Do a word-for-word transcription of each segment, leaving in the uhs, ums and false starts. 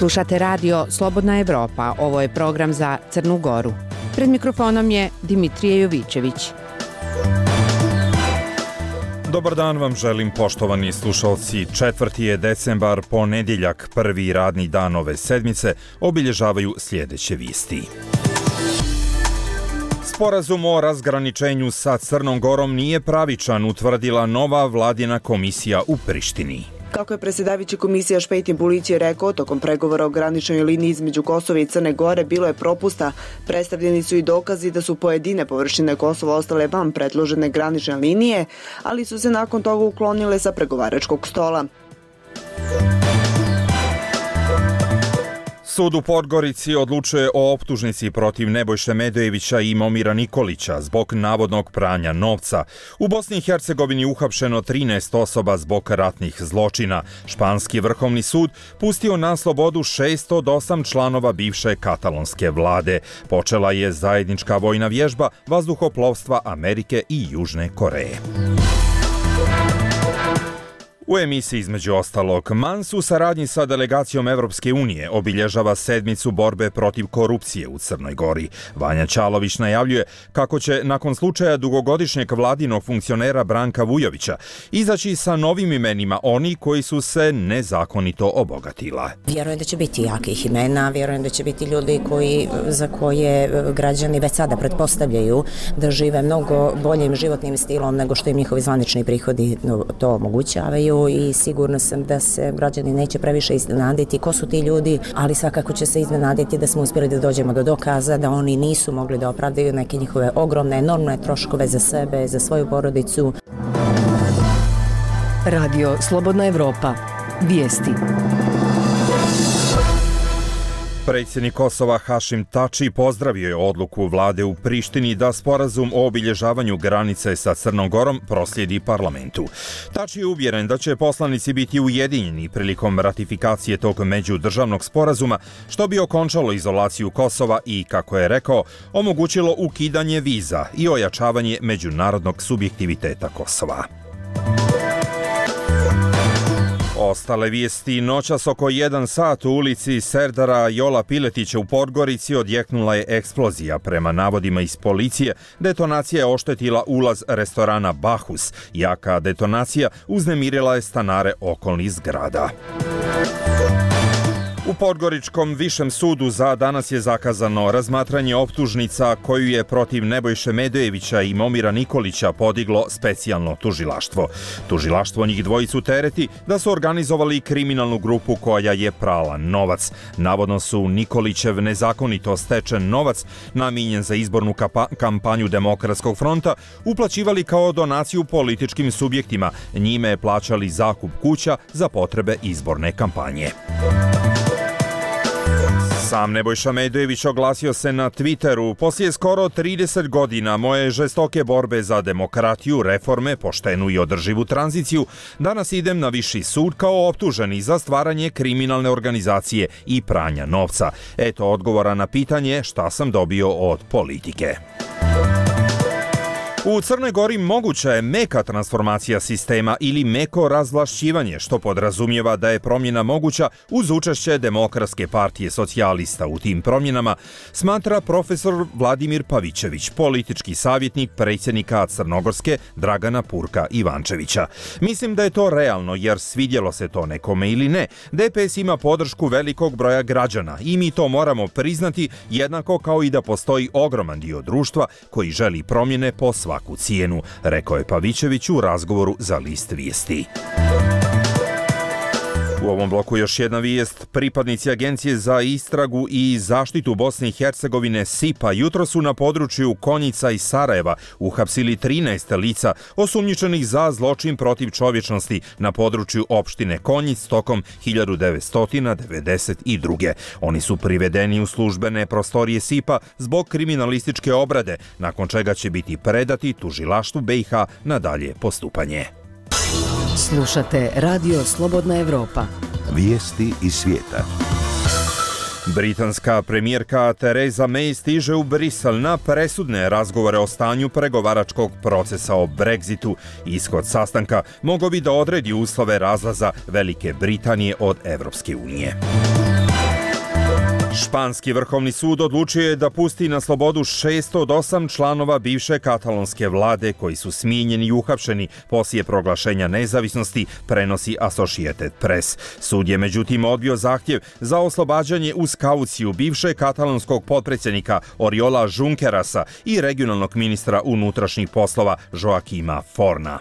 Slušate radio Slobodna Evropa, ovo je program za Crnu Goru. Pred mikrofonom je Dimitrije Jovićević. Dobar dan vam želim, poštovani slušalci. Četvrti je decembar, ponedjeljak, prvi radni dan ove sedmice, obilježavaju sljedeće vijesti. Sporazum o razgraničenju sa Crnom Gorom nije pravičan, utvrdila nova vladina komisija u Prištini. Kako je predsjedavajući komisija Špejtin Bulići rekao, tokom pregovora o graničnoj liniji između Kosova i Crne Gore bilo je propusta. Predstavljeni su i dokazi da su pojedine površine Kosova ostale van predložene granične linije, ali su se nakon toga uklonile sa pregovaračkog stola. Sud u Podgorici odlučuje o optužnici protiv Nebojše Medojevića i Momira Nikolića zbog navodnog pranja novca. U Bosni i Hercegovini uhapšeno trinaest osoba zbog ratnih zločina. Španski vrhovni sud pustio na slobodu šest od osam članova bivše katalonske vlade. Počela je zajednička vojna vježba vazduhoplovstva Amerike i Južne Koreje. U emisiji između ostalog, Mans u saradnji sa delegacijom Evropske unije obilježava sedmicu borbe protiv korupcije u Crnoj Gori. Vanja Ćalović najavljuje kako će nakon slučaja dugogodišnjeg vladinog funkcionera Branka Vujovića izaći sa novim imenima oni koji su se nezakonito obogatila. Vjerujem da će biti jakih imena, vjerujem da će biti ljudi koji, za koje građani već sada pretpostavljaju da žive mnogo boljim životnim stilom nego što im njihovi zvanični prihodi to omogućavaju. I sigurno sam da se građani neće previše iznenaditi ko su ti ljudi, ali svakako će se iznenaditi da smo uspjeli da dođemo do dokaza da oni nisu mogli da opravdaju neke njihove ogromne, enormne troškove za sebe, za svoju porodicu. Radio Slobodna Evropa. Vijesti. Predsjednik Kosova Hašim Tači pozdravio je odluku vlade u Prištini da sporazum o obilježavanju granice sa Crnom Gorom proslijedi parlamentu. Tači je uvjeren da će poslanici biti ujedinjeni prilikom ratifikacije tog međudržavnog sporazuma, što bi okončalo izolaciju Kosova i, kako je rekao, omogućilo ukidanje viza i ojačavanje međunarodnog subjektiviteta Kosova. Ostale vijesti. Noćas oko jedan sat u ulici Serdara Jola Piletića u Podgorici odjeknula je eksplozija. Prema navodima iz policije, detonacija je oštetila ulaz restorana Bahus. Jaka detonacija uznemirila je stanare okolnih zgrada. U Podgoričkom višem sudu za danas je zakazano razmatranje optužnica koju je protiv Nebojše Medojevića i Momira Nikolića podiglo specijalno tužilaštvo. Tužilaštvo njih dvojicu tereti da su organizovali kriminalnu grupu koja je prala novac. Navodno su Nikolićev nezakonito stečen novac, namijenjen za izbornu kampanju Demokratskog fronta, uplaćivali kao donaciju političkim subjektima. Njime plaćali zakup kuća za potrebe izborne kampanje. Sam Nebojša Medojević oglasio se na Twitteru: poslije skoro trideset godina moje žestoke borbe za demokratiju, reforme, poštenu i održivu tranziciju, danas idem na viši sud kao optuženi za stvaranje kriminalne organizacije i pranja novca. Eto odgovora na pitanje šta sam dobio od politike. U Crnoj Gori moguća je meka transformacija sistema ili meko razvlašćivanje, što podrazumijeva da je promjena moguća uz učešće Demokratske partije socijalista. U tim promjenama smatra profesor Vladimir Pavićević, politički savjetnik predsjednika Crnogorske Dragana Purka Ivančevića. Mislim da je to realno, jer svidjelo se to nekome ili ne, D P S ima podršku velikog broja građana i mi to moramo priznati, jednako kao i da postoji ogroman dio društva koji želi promjene po svaku svaku cijenu, rekao je Pavićević u razgovoru za List vijesti. U ovom bloku još jedna vijest. Pripadnici Agencije za istragu i zaštitu Bosne i Hercegovine S I P-a jutro su na području Konjica i Sarajeva uhapsili trinaest lica osumnjičenih za zločin protiv čovječnosti na području opštine Konjic tokom hiljadu devetsto devedeset druge. Oni su privedeni u službene prostorije S I P-a zbog kriminalističke obrade, nakon čega će biti predati tužilaštvu B i H na dalje postupanje. Slušate Radio Slobodna Evropa. Vijesti iz svijeta. Britanska premijerka Theresa May stiže u Brisel na presudne razgovore o stanju pregovaračkog procesa o Brexitu. Ishod sastanka mogao bi da odredi uslove razlaza Velike Britanije od Evropske unije. Španski vrhovni sud odlučio je da pusti na slobodu šest od osam članova bivše katalonske vlade koji su smijenjeni i uhapšeni poslije proglašenja nezavisnosti, prenosi Associated Press. Sud je međutim odbio zahtjev za oslobađanje uz kauciju bivšeg katalonskog potpredsjednika Oriola Junquerasa i regionalnog ministra unutrašnjih poslova Joaquima Forna.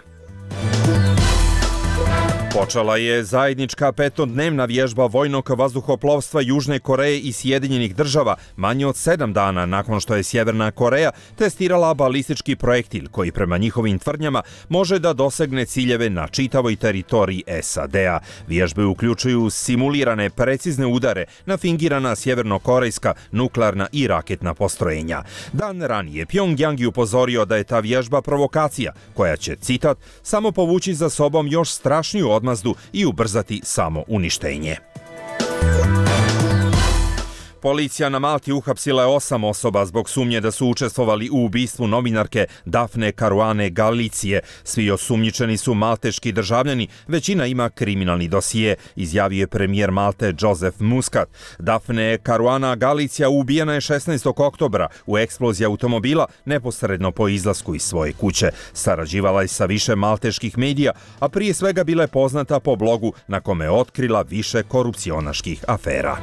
Počela je zajednička petodnevna vježba vojnog vazduhoplovstva Južne Koreje i Sjedinjenih država manje od sedam dana nakon što je Sjeverna Koreja testirala balistički projektil koji prema njihovim tvrdnjama može da dosegne ciljeve na čitavoj teritoriji S A D-a. Vježbe uključuju simulirane precizne udare na fingirana sjevernokorejska nuklearna i raketna postrojenja. Dan ranije Pjongjang je upozorio da je ta vježba provokacija koja će, citat, samo povući za sobom još strašniju odmazdu i ubrzati samo uništenje. Policija na Malti uhapsila je osam osoba zbog sumnje da su učestvovali u ubistvu novinarke Dafne Caruane Galicije. Svi osumnjičeni su malteški državljani, većina ima kriminalni dosije, izjavio je premijer Malte Joseph Muscat. Dafne Caruana Galicija ubijena je šesnaestog oktobra u eksploziji automobila neposredno po izlasku iz svoje kuće. Sarađivala je sa više malteških medija, a prije svega bila je poznata po blogu na kome je otkrila više korupcionaških afera.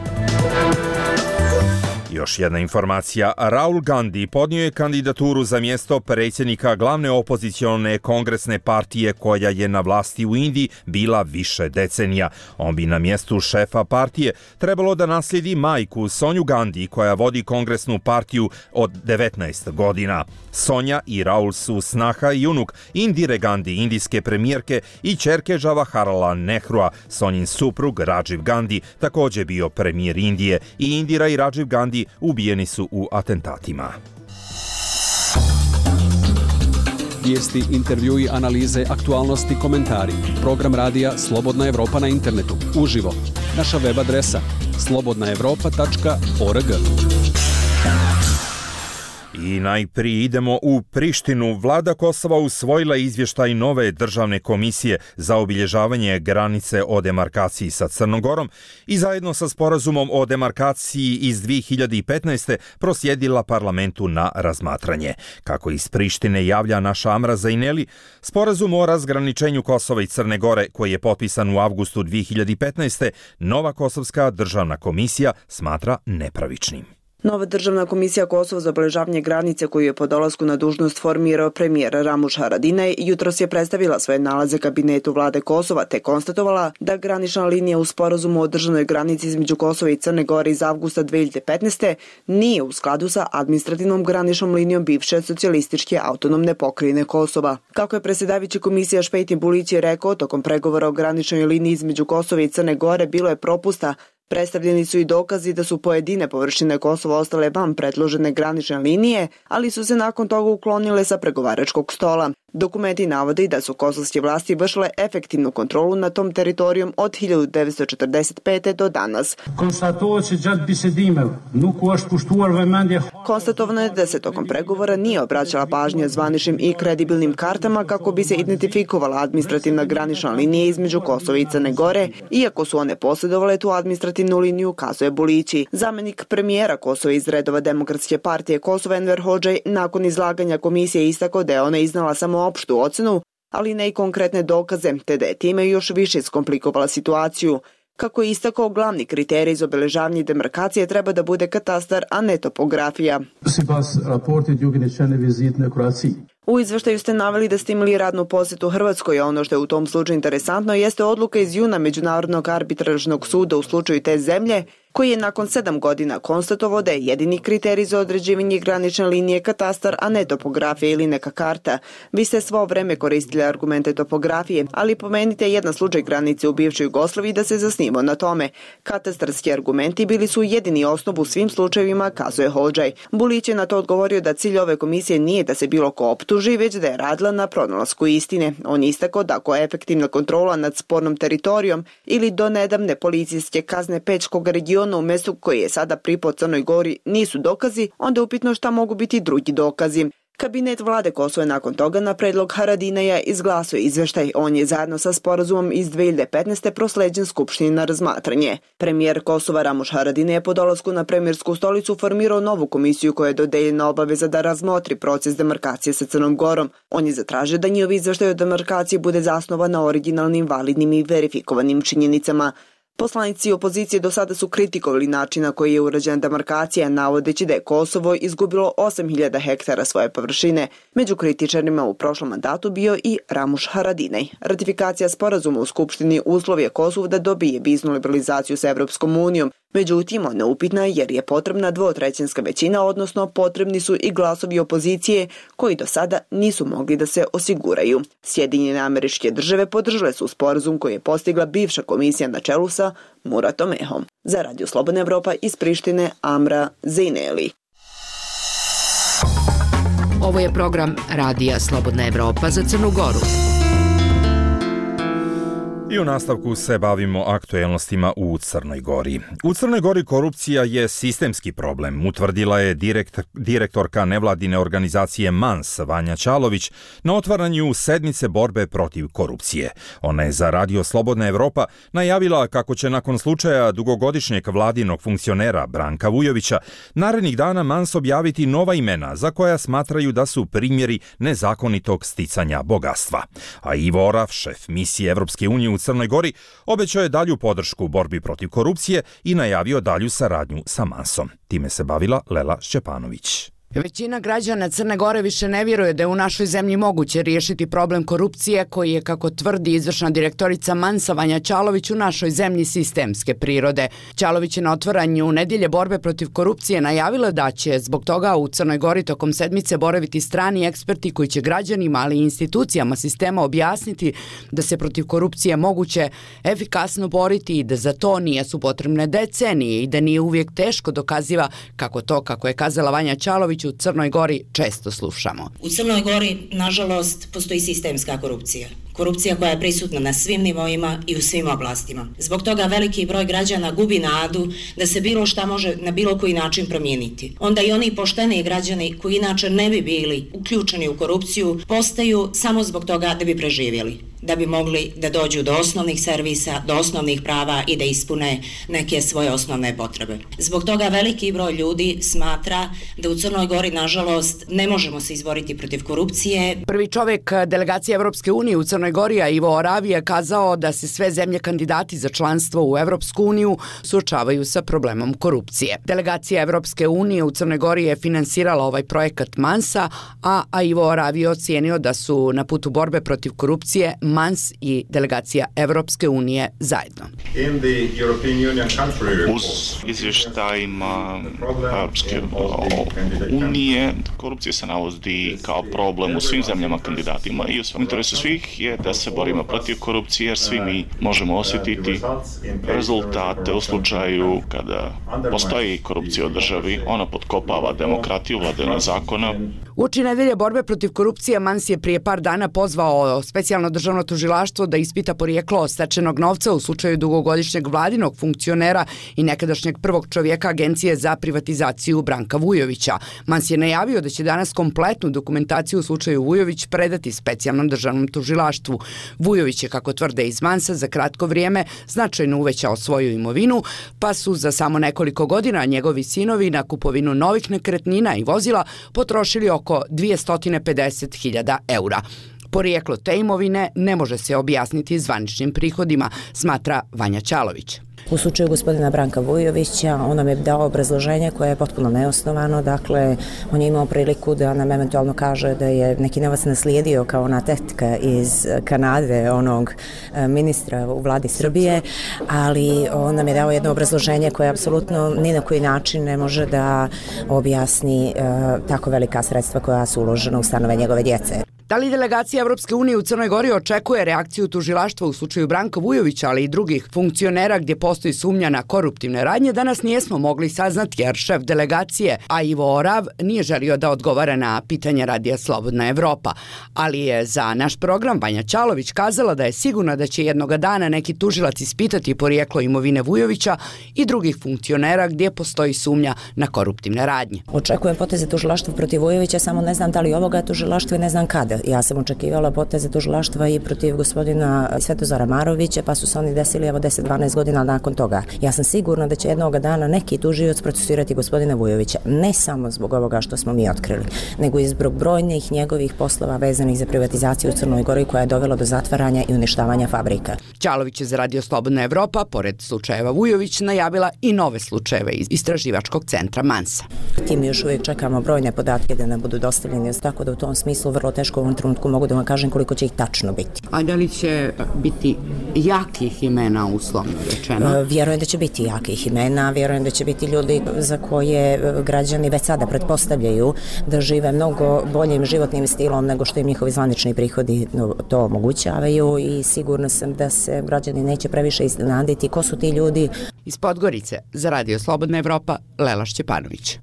Još jedna informacija. Rahul Gandhi podnio je kandidaturu za mjesto predsjednika glavne opozicione kongresne partije koja je na vlasti u Indiji bila više decenija. On bi na mjestu šefa partije trebalo da naslijedi majku Sonju Gandhi koja vodi kongresnu partiju od devetnaest godina. Sonja i Rahul su snaha i unuk Indire Gandhi, indijske premijerke, i ćerke Jawaharlala Nehrua. Sonjin suprug Rajiv Gandhi također bio premijer Indije i Indira i Rajiv Gandhi ubijeni su u atentatima. Vijesti, intervjui, analize, aktualnosti, komentari. Program radija Slobodna Evropa na internetu. Uživo. Naša web adresa slobodna evropa tačka org. I najprije idemo u Prištinu. Vlada Kosova usvojila izvještaj nove državne komisije za obilježavanje granice o demarkaciji sa Crnom Gorom i zajedno sa sporazumom o demarkaciji iz dvije hiljade petnaeste proslijedila parlamentu na razmatranje. Kako iz Prištine javlja naša Amra Zaineli, sporazum o razgraničenju Kosova i Crne Gore koji je potpisan u avgustu dvije hiljade petnaeste nova Kosovska državna komisija smatra nepravičnim. Nova državna komisija Kosova za obeležavanje granice koju je po dolasku na dužnost formirao premijer Ramuš Haradinaj jutros je predstavila svoje nalaze kabinetu vlade Kosova te konstatovala da granična linija u sporazumu o državnoj granici između Kosova i Crne Gore iz avgusta dvije hiljade petnaeste nije u skladu sa administrativnom graničnom linijom bivše socijalističke autonomne pokrajine Kosova. Kako je predsjedavajući komisija Špejtin Bulić je rekao, tokom pregovora o graničnoj liniji između Kosova i Crne Gore bilo je propusta. Predstavljeni su i dokazi da su pojedine površine Kosova ostale van predložene granične linije, ali su se nakon toga uklonile sa pregovaračkog stola. Dokumenti navode da su kosovske vlasti vršile efektivnu kontrolu nad tom teritorijom od hiljadu devetsto četrdeset pete do danas. Konstatovano je da se tokom pregovora nije obraćala pažnja zvaničnim i kredibilnim kartama kako bi se identifikovala administrativna granična linija između Kosova i Crne Gore, iako su one posjedovale tu administrativnu liniju, kazuje Bulići. Zamenik premijera Kosova iz redova Demokratske partije Kosova Enver Hodžaj nakon izlaganja komisije istakao da je ona iznala samo opštu ocenu, ali ne i konkretne dokaze, te da je time još više skomplikovala situaciju. Kako je istakao, glavni kriterij za obeležavanje demarkacije treba da bude katastar, a ne topografija. U izveštaju ste naveli da ste imali radnu posjetu Hrvatskoj, a ono što je u tom slučaju interesantno jeste odluka iz juna Međunarodnog arbitražnog suda u slučaju te zemlje, koji je nakon sedam godina konstatovao da je jedini kriterij za određivanje granične linije katastar, a ne topografija ili neka karta. Vi ste svo vreme koristili argumente topografije, ali pomenite jedan slučaj granice u bivšoj Jugoslaviji da se zasnimo na tome. Katastarski argumenti bili su jedini osnov u svim slučajevima, kazuje Hodžaj. Bulić je na to odgovorio da cilj ove komisije nije da se bilo ko optuži, već da je radila na pronalasku istine. On je istakao da ako je efektivna kontrola nad spornom teritorijom ili do nedavne policijske kazne Pečkog regiona u mestu koji je sada pripao Crnoj Gori nisu dokazi, onda je upitno šta mogu biti drugi dokazi. Kabinet vlade Kosova nakon toga na predlog Haradinaja izglasao izveštaj. On je zajedno sa sporazumom iz dve hiljade petnaeste prosleđen Skupštini na razmatranje. Premijer Kosova Ramuš Haradinaj je po dolasku na premijersku stolicu formirao novu komisiju koja je dodeljena obaveza da razmotri proces demarkacije sa Crnom Gorom. On je zatražio da njihov izveštaj o demarkaciji bude zasnovan na originalnim, validnim i verifikovanim činjenicama. Poslanici opozicije do sada su kritikovali način na koji je urađena demarkacija, navodeći da je Kosovo izgubilo osam hiljada hektara svoje površine. Među kritičarima u prošlom mandatu bio i Ramuš Haradinaj. Ratifikacija sporazuma u Skupštini uslov je Kosovu da dobije viznu liberalizaciju sa Evropskom unijom. Međutim, ona je upitna jer je potrebna dvotrećinska većina, odnosno potrebni su i glasovi opozicije koji do sada nisu mogli da se osiguraju. Sjedinjene Američke Države podržale su sporazum koji je postigla bivša komisija na čelu sa Muratom Ehom. Za Radio Slobodna Evropa iz Prištine, Amra Zejneli. Ovo je program Radija Slobodna Evropa za Crnu Goru. I u nastavku se bavimo aktuelnostima u Crnoj Gori. U Crnoj Gori korupcija je sistemski problem, utvrdila je direkt, direktorka nevladine organizacije MANS Vanja Čalović na otvaranju sedmice borbe protiv korupcije. Ona je za Radio Slobodna Evropa najavila kako će nakon slučaja dugogodišnjeg vladinog funkcionera Branka Vujovića narednih dana MANS objaviti nova imena za koja smatraju da su primjeri nezakonitog sticanja bogatstva. A Ivo Orav, šef misije Evropske unije u Crnoj Gori, obećao je dalju podršku u borbi protiv korupcije i najavio dalju saradnju sa MANS-om. Time se bavila Lela Šćepanović. Većina građana Crne Gore više ne vjeruje da je u našoj zemlji moguće riješiti problem korupcije koji je, kako tvrdi izvršna direktorica MANS-a Vanja Čalović, u našoj zemlji sistemske prirode. Čalović je na otvaranju nedjelje borbe protiv korupcije najavila da će zbog toga u Crnoj Gori tokom sedmice boraviti strani eksperti koji će građanima, ali i institucijama sistema objasniti da se protiv korupcije moguće efikasno boriti i da za to nisu potrebne decenije i da nije uvijek teško dokaziva kako to, kako je kazala Vanja Čalović, u Crnoj Gori često slušamo. U Crnoj Gori, nažalost, postoji sistemska korupcija. Korupcija koja je prisutna na svim nivoima i u svim oblastima. Zbog toga veliki broj građana gubi nadu da se bilo šta može na bilo koji način promijeniti. Onda i oni pošteni građani koji inače ne bi bili uključeni u korupciju postaju samo zbog toga da bi preživjeli, da bi mogli da dođu do osnovnih servisa, do osnovnih prava i da ispune neke svoje osnovne potrebe. Zbog toga veliki broj ljudi smatra da u Crnoj Gori, nažalost, ne možemo se izboriti protiv korupcije. Prvi čovjek delegacije Evropske unije u Crnoj Gori, Ivo Orav, je kazao da se sve zemlje kandidati za članstvo u Evropsku uniju suočavaju sa problemom korupcije. Delegacija Evropske unije u Crnoj Gori je finansirala ovaj projekat MANS-a, a Ivo Orav je ocijenio da su na putu borbe protiv korupcije MANS i delegacija Evropske unije zajedno. Uz izvještajima Evropske unije korupcija se navodi kao problem u svim zemljama kandidatima i u interesu svih je da se borimo protiv korupcije jer svi mi možemo osjetiti rezultate u slučaju kada postoji korupcija u državi, ona potkopava demokratiju, vladavinu zakona. Uoči nedelje borbe protiv korupcije MANS je prije par dana pozvao specijalno državno tužilaštvo da ispita porijeklo stečenog novca u slučaju dugogodišnjeg vladinog funkcionera i nekadašnjeg prvog čovjeka Agencije za privatizaciju Branka Vujovića. MANS je najavio da će danas kompletnu dokumentaciju u slučaju Vujović predati specijalnom državnom tužilaštvu. Vujović je, kako tvrde iz MANS-a, za kratko vrijeme značajno uvećao svoju imovinu, pa su za samo nekoliko godina njegovi sinovi na kupovinu novih nekretnina i vozila potrošili oko dvjesto pedeset hiljada eura. Porijeklo te imovine ne može se objasniti zvaničnim prihodima, smatra Vanja Čalović. U slučaju gospodina Branka Vujovića, on nam je dao obrazloženje koje je potpuno neosnovano, dakle, on je imao priliku da nam eventualno kaže da je neki novac naslijedio kao ona tetka iz Kanade, onog ministra u vladi Srbije, ali on nam je dao jedno obrazloženje koje apsolutno ni na koji način ne može da objasni uh, tako velika sredstva koja su uložena u stanove njegove djece. Da li delegacija Evropske unije u Crnoj Gori očekuje reakciju tužilaštva u slučaju Branka Vujovića, ali i drugih funkcionera gdje postoji sumnja na koruptivne radnje, danas nijesmo mogli saznati jer šef delegacije, a Ivo Orav, nije želio da odgovara na pitanje Radija Slobodna Evropa. Ali je za naš program Vanja Ćalović kazala da je sigurna da će jednoga dana neki tužilac ispitati porijeklo imovine Vujovića i drugih funkcionera gdje postoji sumnja na koruptivne radnje. Očekujem poteze tužilaštva protiv Vujovića, samo ne znam da li ovoga tužilaštva i ne znam kada. Ja sam očekivala poteze tužilaštva i protiv gospodina Svetozara Marovića, pa su se oni desili evo deset do dvanaest godina nakon toga. Ja sam sigurna da će jednog dana neki tužioc procesuirati gospodina Vujovića, ne samo zbog ovoga što smo mi otkrili, nego i zbog brojnih njegovih poslova vezanih za privatizaciju u Crnoj Gori koja je dovela do zatvaranja i uništavanja fabrika. Ćalović je za Radio Slobodna Evropa, pored slučajeva Vujović, najavila i nove slučajeve iz istraživačkog centra Mansa. Tim još uvijek čekamo brojne podatke da nam budu dostavljeni, tako da u tom smislu vrlo teško u ovom trenutku mogu da vam kažem koliko će ih tačno biti. A da li će biti jakih imena uslovno rečeno? Vjerujem da će biti jakih imena, vjerujem da će biti ljudi za koje građani već sada pretpostavljaju da žive mnogo boljim životnim stilom nego što im njihovi zvanični prihodi to omogućavaju i sigurna sam da se građani neće previše iznenaditi ko su ti ljudi. Iz Podgorice za Radio Slobodna Evropa, Lela Šćepanović.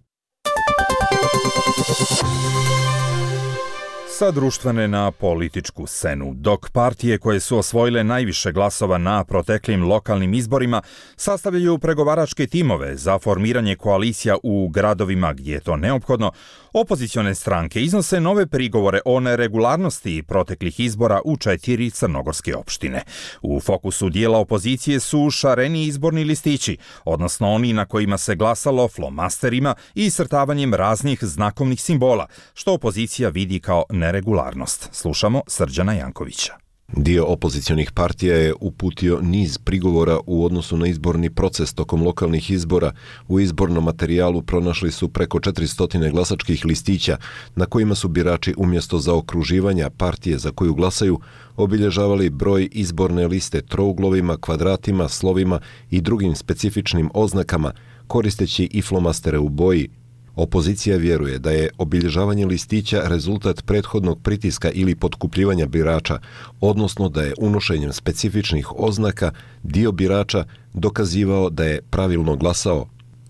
Sa društvene na političku scenu. Dok partije koje su osvojile najviše glasova na proteklim lokalnim izborima sastavljaju pregovaračke timove za formiranje koalicija u gradovima gdje je to neophodno, opozicione stranke iznose nove prigovore o neregularnosti proteklih izbora u četiri crnogorske opštine. U fokusu dijela opozicije su šareni izborni listići, odnosno oni na kojima se glasalo flomasterima i iscrtavanjem raznih znakovnih simbola, što opozicija vidi kao neregularnost. Slušamo Srđana Jankovića. Dio opozicionih partija je uputio niz prigovora u odnosu na izborni proces tokom lokalnih izbora. U izbornom materijalu pronašli su preko četiristo glasačkih listića na kojima su birači umjesto zaokruživanja partije za koju glasaju obilježavali broj izborne liste trouglovima, kvadratima, slovima i drugim specifičnim oznakama, koristeći i flomastere u boji. Opozicija vjeruje da je obilježavanje listića rezultat prethodnog pritiska ili potkupljivanja birača, odnosno da je unošenjem specifičnih oznaka dio birača dokazivao da je pravilno glasao.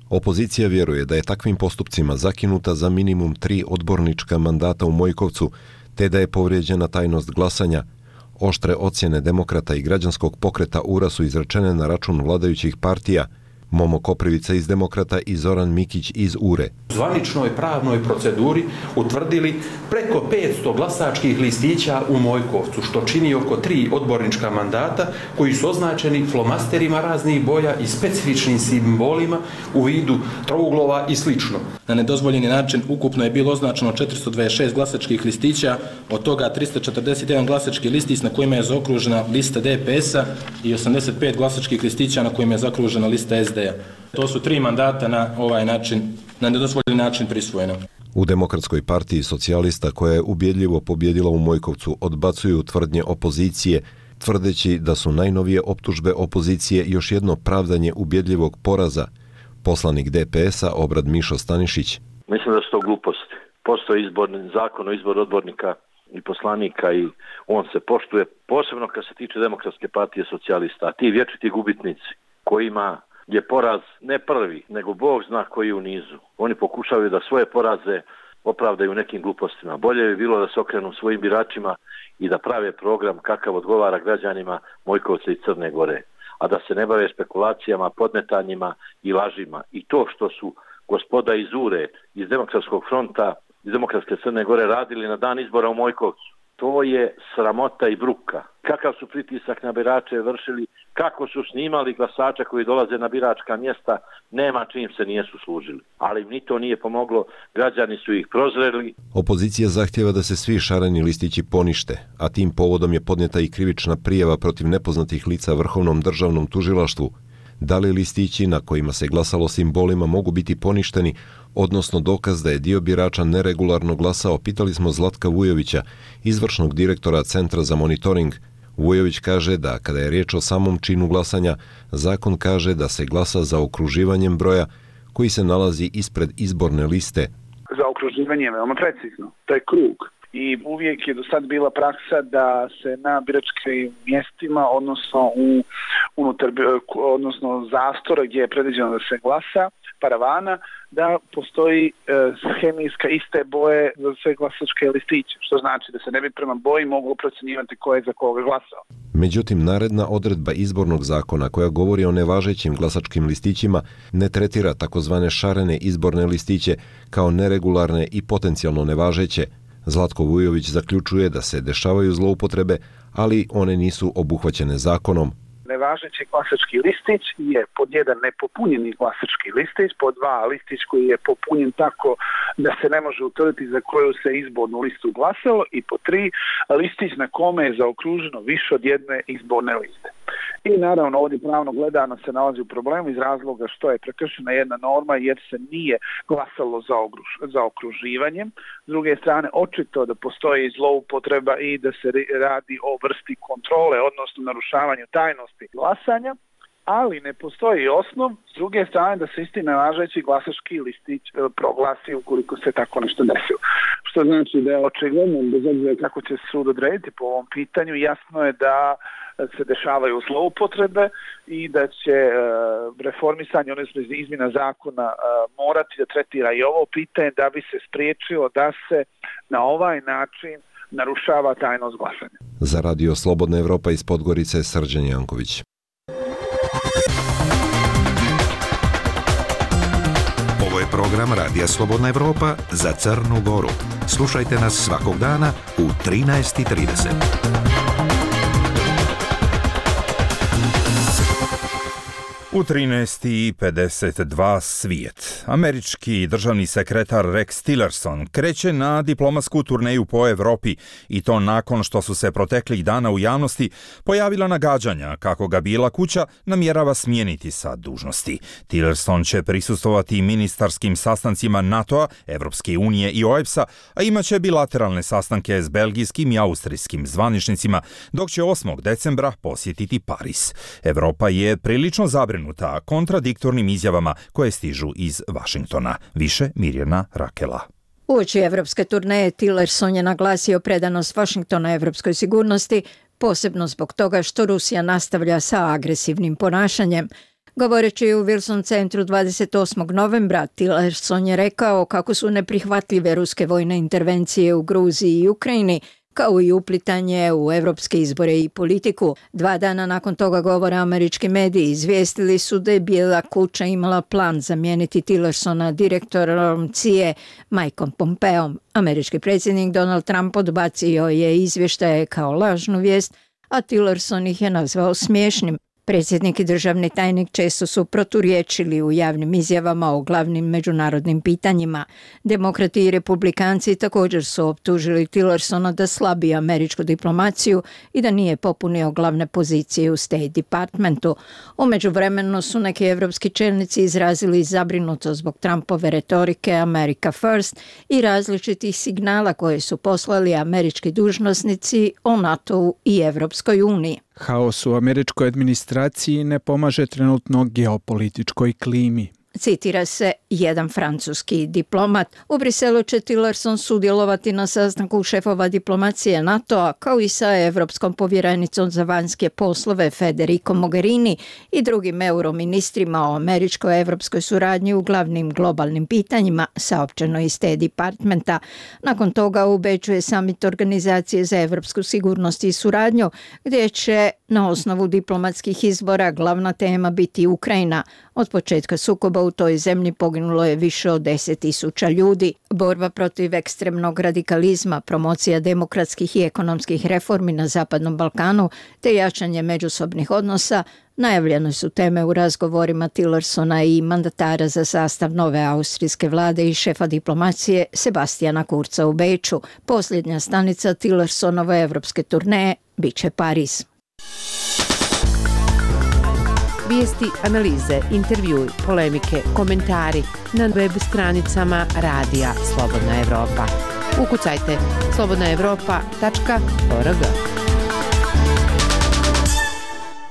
Opozicija vjeruje da je takvim postupcima zakinuta za minimum tri odbornička mandata u Mojkovcu, te da je povrijeđena tajnost glasanja. Oštre ocjene Demokrata i Građanskog pokreta U R A su izrečene na račun vladajućih partija. Momo Koprivica iz Demokrata i Zoran Mikić iz U R E. U zvaničnoj pravnoj proceduri utvrdili preko petsto glasačkih listića u Mojkovcu, što čini oko tri odbornička mandata koji su označeni flomasterima raznih boja i specifičnim simbolima u vidu trouglova i slično. Na nedozvoljeni način ukupno je bilo označeno četiristo dvadeset šest glasačkih listića, od toga tristo četrdeset jedan glasački listić na kojima je zaokružena lista D P S-a i osamdeset pet glasačkih listića na kojima je zaokružena lista S D. To su tri mandata na ovaj način, na nedozvoljeni način prisvojena. U Demokratskoj partiji socijalista, koja je ubjedljivo pobjedila u Mojkovcu, odbacuju tvrdnje opozicije, tvrdeći da su najnovije optužbe opozicije još jedno pravdanje ubjedljivog poraza. Poslanik D P S-a Obrad Mišo Stanišić. Mislim da su to gluposti. Postoji izborni zakon o izboru odbornika i poslanika i on se poštuje, posebno kad se tiče Demokratske partije socijalista. A ti vječiti gubitnici kojima je poraz ne prvi, nego Bog zna koji u nizu. Oni pokušavaju da svoje poraze opravdaju nekim glupostima. Bolje bi bilo da se okrenu svojim biračima i da prave program kakav odgovara građanima Mojkovca i Crne Gore, a da se ne bave spekulacijama, podmetanjima i lažima. I to što su gospoda iz U R E, iz Demokratskog fronta, iz Demokratske Crne Gore radili na dan izbora u Mojkovcu, to je sramota i bruka. Kakav su pritisak na birače vršili, kako su snimali glasača koji dolaze na biračka mjesta, nema čim se nijesu služili. Ali ni to nije pomoglo, građani su ih prozreli. Opozicija zahtjeva da se svi šareni listići ponište, a tim povodom je podnijeta i krivična prijava protiv nepoznatih lica Vrhovnom državnom tužilaštvu. Da li listići na kojima se glasalo simbolima mogu biti poništeni, odnosno dokaz da je dio birača neregularno glasao, pitali smo Zlatka Vujovića, izvršnog direktora Centra za monitoring. Vujović kaže da kada je riječ o samom činu glasanja, zakon kaže da se glasa za okruživanjem broja koji se nalazi ispred izborne liste. Za okruživanje je veoma precizno. To je krug. i uvijek je do sad bila praksa da se na biračkim mjestima, odnosno u unutar, odnosno zastora gdje je predviđeno da se glasa, paravana, da postoji e, hemijska iste boje za sve glasačke listiće, što znači da se ne bi prema boji moglo procjenjivati ko je za koga glasao. Međutim, naredna odredba izbornog zakona koja govori o nevažećim glasačkim listićima ne tretira takozvane šarene izborne listiće kao neregularne i potencijalno nevažeće. Zlatko Vujović zaključuje da se dešavaju zloupotrebe, ali one nisu obuhvaćene zakonom. Nevažeći glasački listić je pod jedan nepopunjeni glasački listić, pod dva listić koji je popunjen tako da se ne može utvrditi za koju se izbornu listu glasalo i pod tri listić na kome je zaokruženo više od jedne izborne liste. I naravno ovdje pravno gledano se nalazi u problemu iz razloga što je prekršena jedna norma jer se nije glasalo za, ogruž, za okruživanjem. S druge strane očito da postoji zloupotreba i da se radi o vrsti kontrole, odnosno narušavanju tajnosti glasanja, ali ne postoji osnov s druge strane da se isti nevažeći glasački listić proglasi ukoliko se tako nešto desilo. Što znači da je očigledno, bez obzira kako će sud odrediti po ovom pitanju, jasno je da se dešavaju zloupotrebe i da će e, reformisanje, odnosno izmjena zakona e, morati da tretira i ovo pitanje da bi se spriječilo da se na ovaj način narušava tajnost glasanja. Za Radio Slobodna Evropa iz Podgorice, Srđan Janković. Ovo je program Radija Slobodna Evropa za Crnu Goru. Slušajte nas svakog dana u trinaest i trideset. U trinaest i pedeset dva svijet. Američki državni sekretar Rex Tillerson kreće na diplomatsku turneju po Evropi i to nakon što su se proteklih dana u javnosti pojavila nagađanja kako ga Bijela kuća namjerava smijeniti sa dužnosti. Tillerson će prisustvovati ministarskim sastancima NATO-a, Evropske unije i O E B S-a, a imaće bilateralne sastanke s belgijskim i austrijskim zvaničnicima, dok će osmog decembra posjetiti Pariz. Evropa je prilično zabrinuta kontradiktornim izjavama koje stižu iz Vašingtona. Više Mirjana Rakela. Uoči evropske turneje Tillerson je naglasio predanost Vašingtona evropskoj sigurnosti, posebno zbog toga što Rusija nastavlja sa agresivnim ponašanjem. Govoreći u Wilson centru dvadeset osmog novembra, Tillerson je rekao kako su neprihvatljive ruske vojne intervencije u Gruziji i Ukrajini, kao i uplitanje u evropske izbore i politiku. Dva dana nakon toga govora američki mediji izvijestili su da je Bijela kuća imala plan zamijeniti Tillersona direktorom C I A Mikeom Pompeom. Američki predsjednik Donald Trump odbacio je izvještaje kao lažnu vijest, a Tillerson ih je nazvao smiješnim. Predsjednik i državni tajnik često su proturječili u javnim izjavama o glavnim međunarodnim pitanjima. Demokrati i republikanci također su optužili Tillersona da slabi američku diplomaciju i da nije popunio glavne pozicije u State Departmentu. U međuvremenu su neki evropski čelnici izrazili zabrinutost zbog Trumpove retorike America First i različitih signala koje su poslali američki dužnosnici o NATO-u i Evropskoj uniji. Haos u američkoj administraciji ne pomaže trenutno geopolitičkoj klimi. Citira se jedan francuski diplomat. U Briselu će Tillerson sudjelovati na sastanku šefova diplomacije NATO-a kao i sa evropskom povjerenicom za vanjske poslove Federico Mogherini i drugim euroministrima o američko-evropskoj suradnji u glavnim globalnim pitanjima, saopćeno iz State Departmenta. Nakon toga u Beču je summit Organizacije za evropsku sigurnost i suradnju, gdje će na osnovu diplomatskih izbora glavna tema biti Ukrajina. Od početka sukoba u toj zemlji poginulo je više od deset tisuća ljudi. Borba protiv ekstremnog radikalizma, promocija demokratskih i ekonomskih reformi na Zapadnom Balkanu te jačanje međusobnih odnosa najavljene su teme u razgovorima Tillersona i mandatara za sastav nove austrijske vlade i šefa diplomacije Sebastijana Kurza u Beču. Posljednja stanica Tillersonove evropske turneje biće Pariz. Vijesti, analize, intervjui, polemike, komentari na web stranicama Radija Slobodna Evropa. Ukucajte slobodna evropa tačka org.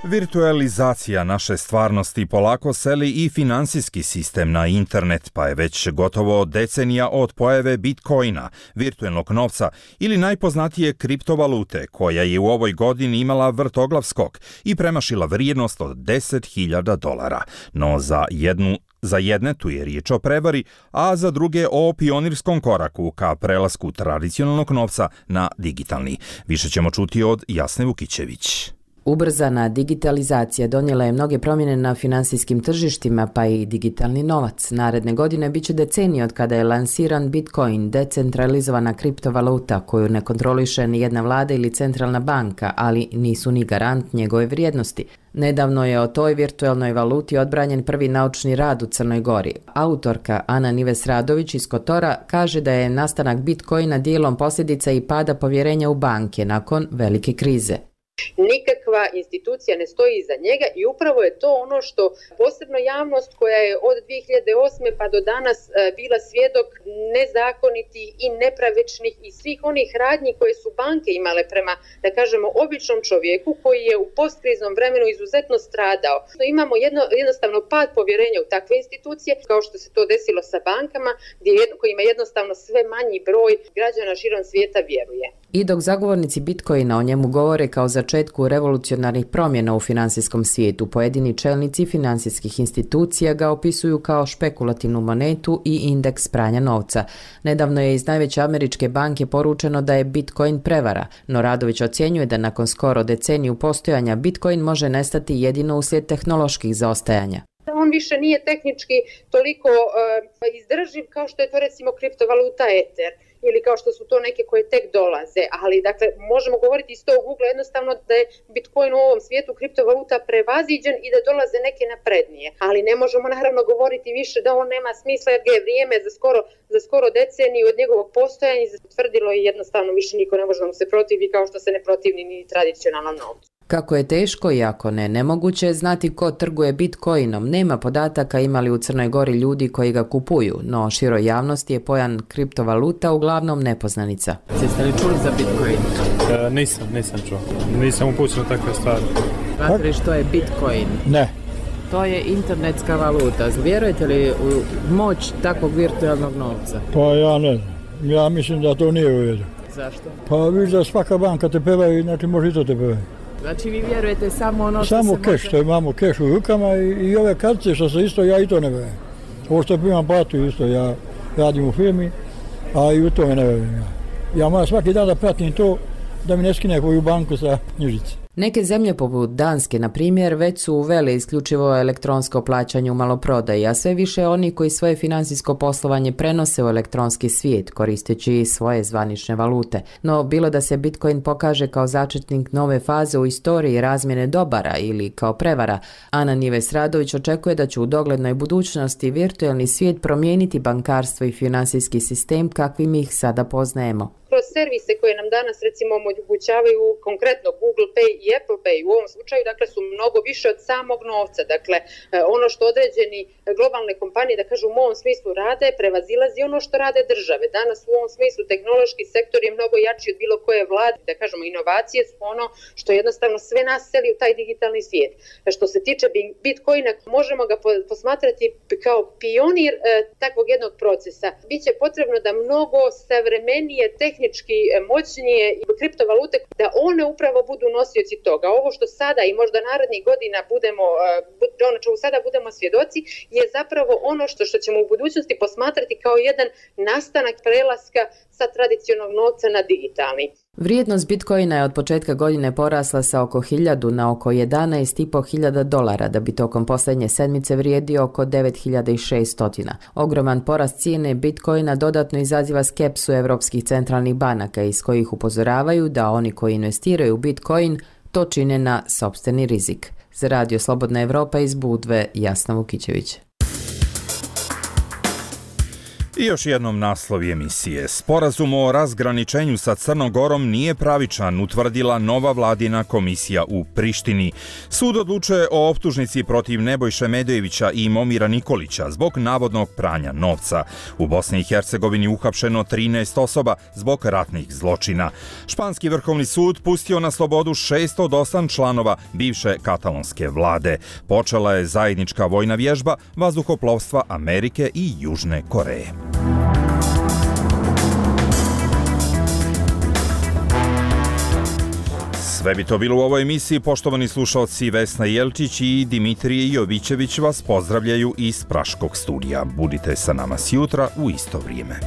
Virtualizacija naše stvarnosti polako seli i finansijski sistem na internet, pa je već gotovo decenija od pojave Bitcoina, virtualnog novca ili najpoznatije kriptovalute, koja je u ovoj godini imala vrtoglav skok i premašila vrijednost od deset hiljada dolara. No za jednu Za jedne tu je riječ o prevari, a za druge o pionirskom koraku ka prelasku tradicionalnog novca na digitalni. Više ćemo čuti od Jasne Vukićević. Ubrzana digitalizacija donijela je mnoge promjene na finansijskim tržištima, pa i digitalni novac. Naredne godine biće decenije od kada je lansiran Bitcoin, decentralizovana kriptovaluta koju ne kontroliše ni jedna vlada ili centralna banka, ali nisu ni garant njegove vrijednosti. Nedavno je o toj virtualnoj valuti odbranjen prvi naučni rad u Crnoj Gori. Autorka Ana Nives Radović iz Kotora kaže da je nastanak Bitcoina dijelom posljedica i pada povjerenja u banke nakon velike krize. Nikakva institucija ne stoji iza njega i upravo je to ono što posebno javnost koja je od dvije hiljade osme pa do danas bila svjedok nezakonitih i nepravičnih i svih onih radnji koje su banke imale prema, da kažemo, običnom čovjeku koji je u postkriznom vremenu izuzetno stradao. Imamo jedno, jednostavno pad povjerenja u takve institucije, kao što se to desilo sa bankama, gdje jedno, kojima jednostavno sve manji broj građana širom svijeta vjeruje. I dok zagovornici Bitcoina o njemu govore kao začetku revolucionarnih promjena u finansijskom svijetu, pojedini čelnici financijskih institucija ga opisuju kao špekulativnu monetu i indeks pranja novca. Nedavno je iz najveće američke banke poručeno da je Bitcoin prevara, no Radović ocjenjuje da nakon skoro deceniju postojanja Bitcoin može nestati jedino uslijed tehnoloških zaostajanja. On više nije tehnički toliko uh, izdrživ kao što je to recimo kriptovaluta Ether ili kao što su to neke koje tek dolaze, ali dakle možemo govoriti iz tog ugla jednostavno da je Bitcoin u ovom svijetu kriptovaluta prevaziđen i da dolaze neke naprednije, ali ne možemo naravno govoriti više da on nema smisla jer ga je vrijeme za skoro, za skoro deceniju od njegovog postojanja zatvrdilo i jednostavno više niko ne može da mu se protivi kao što se ne protivni ni tradicionalnom novcu. Kako je teško i ako ne nemoguće znati ko trguje Bitcoinom, nema podataka imali u Crnoj Gori ljudi koji ga kupuju, no široj javnosti je pojam kriptovaluta uglavnom nepoznanica. Jeste li čuli za Bitcoin? E, nisam, nisam čuo. Nisam upućen u takve stvari. Znate li što je Bitcoin? Ne. To je internetska valuta. Vjerujete li u moć takvog virtualnog novca? Pa ja ne znam. Ja mislim da to nije u redu. Zašto? Pa vidiš da svaka banka te peva i znači može i to te peva. Znači vi vjerujete samo ono što samo se keš, može... što imamo keš u rukama i, i ove kartice što se isto, ja i to ne vjerujem. Ovo što primam platu isto, ja radim u firmi, a i u to ne vjerujem ja. Ja moram svaki dan da pratim to da mi ne skine koju banku sa knjižice. Neke zemlje poput Danske, na primjer, već su uvele isključivo elektronsko plaćanje u maloprodaji, a sve više oni koji svoje financijsko poslovanje prenose u elektronski svijet, koristeći svoje zvanične valute. No, bilo da se Bitcoin pokaže kao začetnik nove faze u istoriji razmjene dobara ili kao prevara, Ana Nives Radović očekuje da će u doglednoj budućnosti virtualni svijet promijeniti bankarstvo i financijski sistem kakvim ih sada poznajemo. Kroz servise koje nam danas recimo omogućavaju konkretno Google Pay i Apple Pay u ovom slučaju, dakle su mnogo više od samog novca. Dakle, ono što određeni globalne kompanije, da kažu u ovom smislu rade, prevazilazi ono što rade države. Danas u ovom smislu tehnološki sektor je mnogo jači od bilo koje vlade, da kažemo inovacije su ono što jednostavno sve nas seli u taj digitalni svijet. Što se tiče Bitcoina, možemo ga posmatrati kao pionir e, takvog jednog procesa. Biće potrebno da mnogo savremenije tehnički moćnije kriptovalute, da one upravo budu nosioci toga. Ovo što sada i možda narednih godina budemo, ono što sada budemo svjedoci, je zapravo ono što, što ćemo u budućnosti posmatrati kao jedan nastanak prelaska sa tradicionalnog novca na digitalni. Vrijednost Bitcoina je od početka godine porasla sa oko hiljadu na oko jedanaest i po hiljada dolara, da bi tokom posljednje sedmice vrijedio oko devet hiljada šesto. Ogroman porast cijene Bitcoina dodatno izaziva skepsu evropskih centralnih banaka, iz kojih upozoravaju da oni koji investiraju u Bitcoin to čine na sopstveni rizik. Za Radio Slobodna Evropa iz Budve, Jasna Vukićević. I još jednom naslovi emisije. Sporazum o razgraničenju sa Crnom Gorom nije pravičan, utvrdila nova vladina komisija u Prištini. Sud odlučuje o optužnici protiv Nebojše Medojevića i Momira Nikolića zbog navodnog pranja novca. U Bosni i Hercegovini uhapšeno trinaest osoba zbog ratnih zločina. Španski vrhovni sud pustio na slobodu šest od osam članova bivše katalonske vlade. Počela je zajednička vojna vježba vazduhoplovstva Amerike i Južne Koreje. Sve bi to bilo u ovoj emisiji. Poštovani slušalci, Vesna Jelčić i Dimitrije Jovićević vas pozdravljaju iz Praškog studija. Budite sa nama sjutra u isto vrijeme.